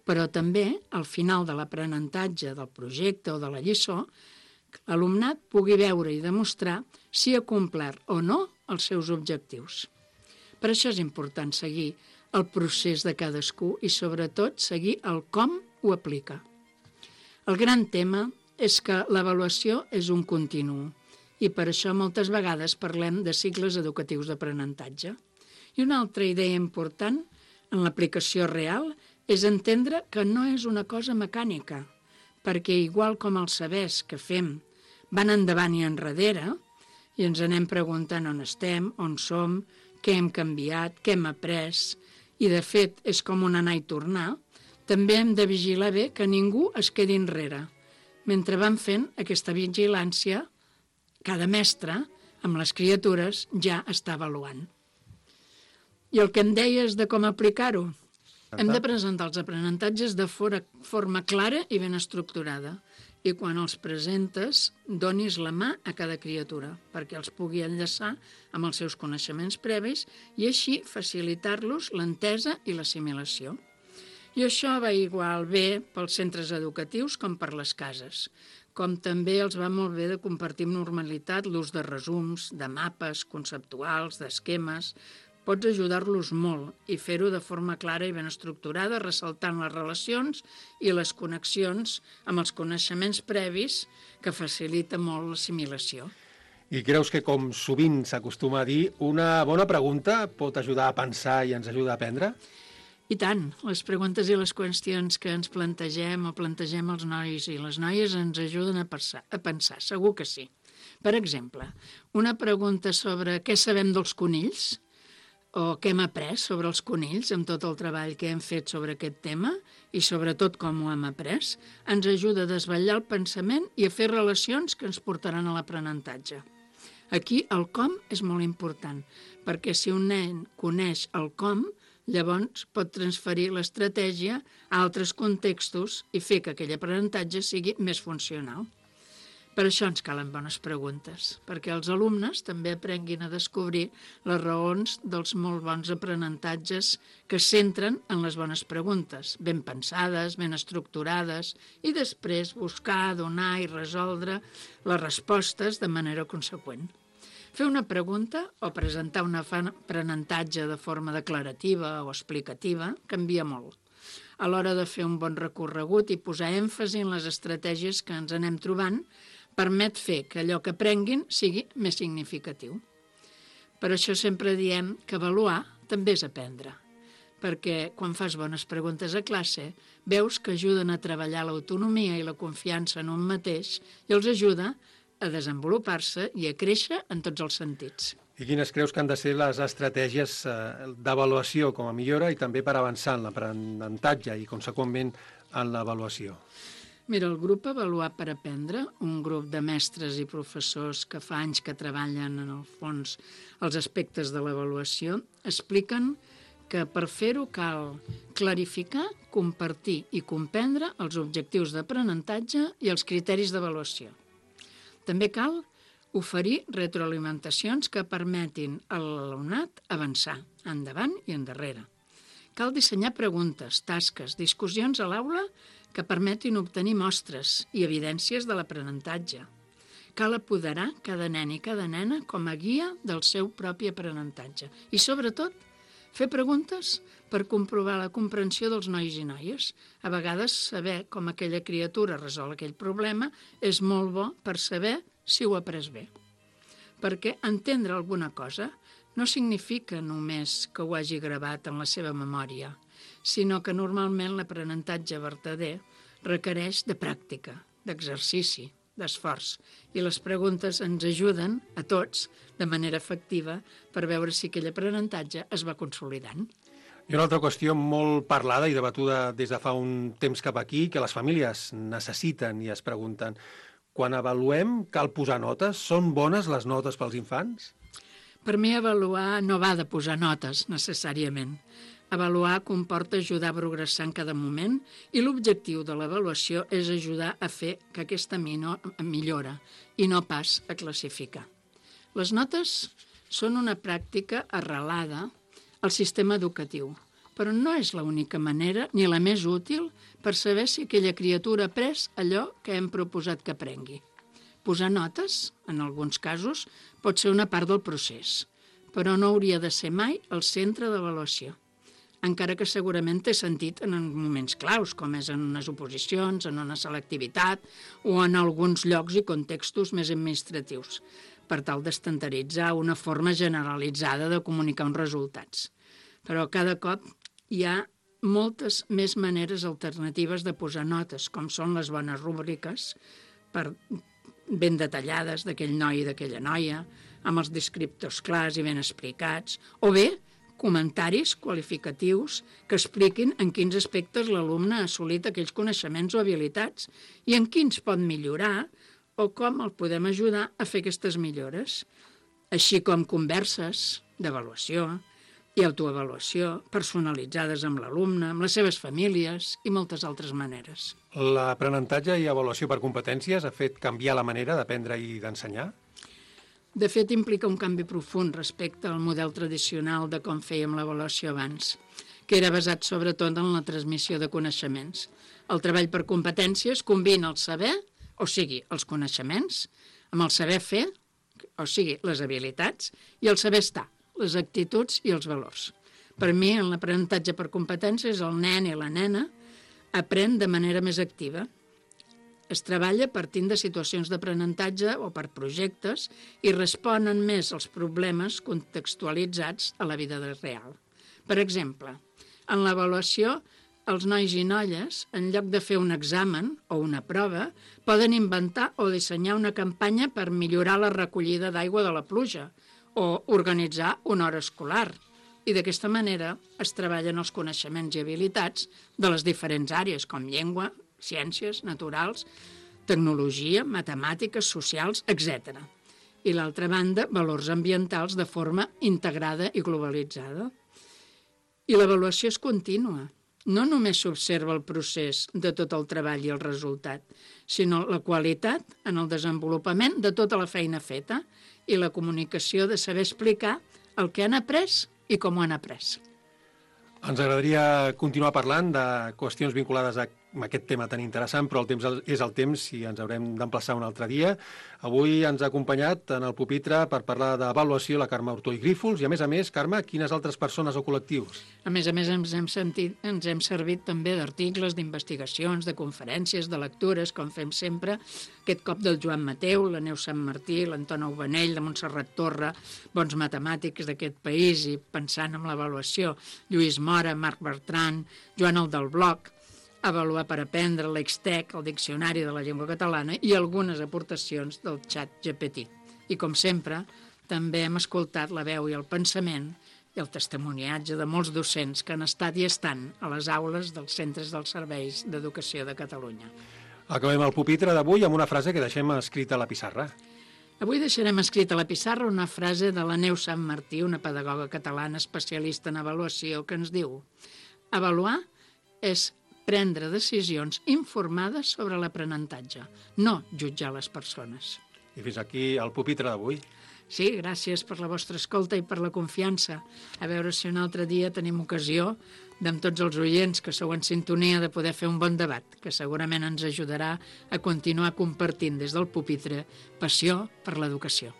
Però també, al final de l'aprenentatge del projecte o de la lliçó, l'alumnat pugui veure i demostrar si ha complert o no els seus objectius. Per això és important seguir el procés de cadascú i, sobretot, seguir el com ho aplica. El gran tema és que l'avaluació és un continu i per això moltes vegades parlem de cicles educatius d'aprenentatge. I una altra idea important en l'aplicació real és entendre que no és una cosa mecànica, perquè igual com els sabers que fem van endavant i enrere, i ens anem preguntant on estem, on som, què hem canviat, què hem après, i de fet és com un anar i tornar, també hem de vigilar bé que ningú es quedi enrere. Mentre van fent aquesta vigilància, cada mestre, amb les criatures, ja està avaluant. I el que em deies de com aplicar-ho? Hem de presentar els aprenentatges de forma clara i ben estructurada. I quan els presentes, donis la mà a cada criatura perquè els pugui enllaçar amb els seus coneixements previs i així facilitar-los l'entesa i l'assimilació. I això va igual bé pels centres educatius com per les cases, com també els va molt bé de compartir amb normalitat l'ús de resums, de mapes conceptuals, d'esquemes. Pots ajudar-los molt i fer-ho de forma clara i ben estructurada, ressaltant les relacions i les connexions amb els coneixements previs, que facilita molt l'assimilació. I creus que, com sovint s'acostuma a dir, una bona pregunta pot ajudar a pensar i ens ajuda a aprendre? I tant, les preguntes i les qüestions que ens plantegem o plantegem els nois i les noies ens ajuden a pensar, segur que sí. Per exemple, una pregunta sobre què sabem dels conills, o què hem après sobre els conills amb tot el treball que hem fet sobre aquest tema i sobretot com ho hem après, ens ajuda a desvetllar el pensament i a fer relacions que ens portaran a l'aprenentatge. Aquí el com és molt important, perquè si un nen coneix el com, llavors pot transferir l'estratègia a altres contextos i fer que aquell aprenentatge sigui més funcional. Per això ens calen bones preguntes, perquè els alumnes també aprenguin a descobrir les raons dels molt bons aprenentatges que es centren en les bones preguntes, ben pensades, ben estructurades, i després buscar, donar i resoldre les respostes de manera conseqüent. Fer una pregunta o presentar un aprenentatge de forma declarativa o explicativa canvia molt. A l'hora de fer un bon recorregut i posar èmfasi en les estratègies que ens anem trobant, permet fer que allò que aprenguin sigui més significatiu. Per això sempre diem que avaluar també és aprendre, perquè quan fas bones preguntes a classe veus que ajuden a treballar l'autonomia i la confiança en un mateix i els ajuda a desenvolupar-se i a créixer en tots els sentits. I quines creus que han de ser les estratègies d'avaluació com a millora i també per avançar en l'aprenentatge i, conseqüentment, en l'avaluació? Mira, el grup Avaluar per Aprendre, un grup de mestres i professors que fa anys que treballen en el fons els aspectes de l'avaluació, expliquen que per fer-ho cal clarificar, compartir i comprendre els objectius d'aprenentatge i els criteris d'avaluació. També cal oferir retroalimentacions que permetin a l'alumnat avançar endavant i endarrere. Cal dissenyar preguntes, tasques, discussions a l'aula que permetin obtenir mostres i evidències de l'aprenentatge. Cal apoderar cada nen i cada nena com a guia del seu propi aprenentatge. I, sobretot, fer preguntes per comprovar la comprensió dels nois i noies. A vegades, saber com aquella criatura resol aquell problema és molt bo per saber si ho ha après bé. Perquè entendre alguna cosa no significa només que ho hagi gravat en la seva memòria, sinó que normalment l'aprenentatge vertader requereix de pràctica, d'exercici, d'esforç, i les preguntes ens ajuden a tots de manera efectiva per veure si aquell aprenentatge es va consolidant. I una altra qüestió molt parlada i debatuda des de fa un temps cap aquí, que les famílies necessiten i es pregunten: quan avaluem, cal posar notes? Són bones les notes pels infants? Per mi, avaluar no va de posar notes, necessàriament. Avaluar comporta ajudar a progressar en cada moment i l'objectiu de l'avaluació és ajudar a fer que aquesta millora i no pas a classificar. Les notes són una pràctica arrelada al sistema educatiu, però no és l'única manera ni la més útil per saber si aquella criatura ha après allò que hem proposat que aprengui. Posar notes, en alguns casos, pot ser una part del procés, però no hauria de ser mai el centre d'avaluació, encara que segurament té sentit en moments claus, com és en unes oposicions, en una selectivitat o en alguns llocs i contextos més administratius, per tal d'estandaritzar una forma generalitzada de comunicar uns resultats. Però cada cop hi ha moltes més maneres alternatives de posar notes, com són les bones rúbriques, ben detallades d'aquell noi i d'aquella noia, amb els descriptors clars i ben explicats, o bé comentaris qualificatius que expliquin en quins aspectes l'alumne ha assolit aquells coneixements o habilitats i en quins pot millorar o com el podem ajudar a fer aquestes millores, així com converses d'avaluació i autoavaluació, personalitzades amb l'alumne, amb les seves famílies i moltes altres maneres. L'aprenentatge i avaluació per competències ha fet canviar la manera d'aprendre i d'ensenyar? De fet, implica un canvi profund respecte al model tradicional de com fèiem l'avaluació abans, que era basat sobretot en la transmissió de coneixements. El treball per competències combina el saber, o sigui, els coneixements, amb el saber fer, o sigui, les habilitats, i el saber estar, les actituds i els valors. Per mi, en l'aprenentatge per competències, el nen i la nena aprèn de manera més activa. Es treballa partint de situacions d'aprenentatge o per projectes i responen més als problemes contextualitzats a la vida real. Per exemple, en l'avaluació, els nois i noies, en lloc de fer un examen o una prova, poden inventar o dissenyar una campanya per millorar la recollida d'aigua de la pluja o organitzar una hora escolar. I d'aquesta manera es treballen els coneixements i habilitats de les diferents àrees, com llengua, ciències, naturals, tecnologia, matemàtiques, socials, etc. I l'altra banda, valors ambientals de forma integrada i globalitzada. I l'avaluació és contínua. No només s'observa el procés de tot el treball i el resultat, sinó la qualitat en el desenvolupament de tota la feina feta i la comunicació de saber explicar el que han après i com ho han après. Ens agradaria continuar parlant de qüestions vinculades a aquest tema tan interessant, però el temps és el temps i ens haurem d'emplaçar un altre dia. Avui ens ha acompanyat en el pupitre per parlar d'avaluació la Carme Hurtó i Grífols i, a més, Carme, quines altres persones o col·lectius? A més, ens hem servit també d'articles, d'investigacions, de conferències, de lectures, com fem sempre, aquest cop del Joan Mateu, la Neus Sant Martí, l'Antona Ubanell, la Montserrat Torra, bons matemàtics d'aquest país i pensant en l'avaluació, Lluís Mora, Marc Bertran, Joan el del Bloc, Avaluar per aprendre, l'Extec, el Diccionari de la Llengua Catalana i algunes aportacions del xat GPT. I, com sempre, també hem escoltat la veu i el pensament i el testimoniatge de molts docents que han estat i estan a les aules dels centres dels serveis d'educació de Catalunya. Acabem el pupitre d'avui amb una frase que deixem escrita a la pissarra. Avui deixarem escrita a la pissarra una frase de la Neus Sant Martí, una pedagoga catalana especialista en avaluació, que ens diu: avaluar és prendre decisions informades sobre l'aprenentatge, no jutjar les persones. I fins aquí el pupitre d'avui. Sí, gràcies per la vostra escolta i per la confiança. A veure si un altre dia tenim ocasió, amb tots els oients que sou en sintonia, de poder fer un bon debat, que segurament ens ajudarà a continuar compartint des del pupitre passió per l'educació.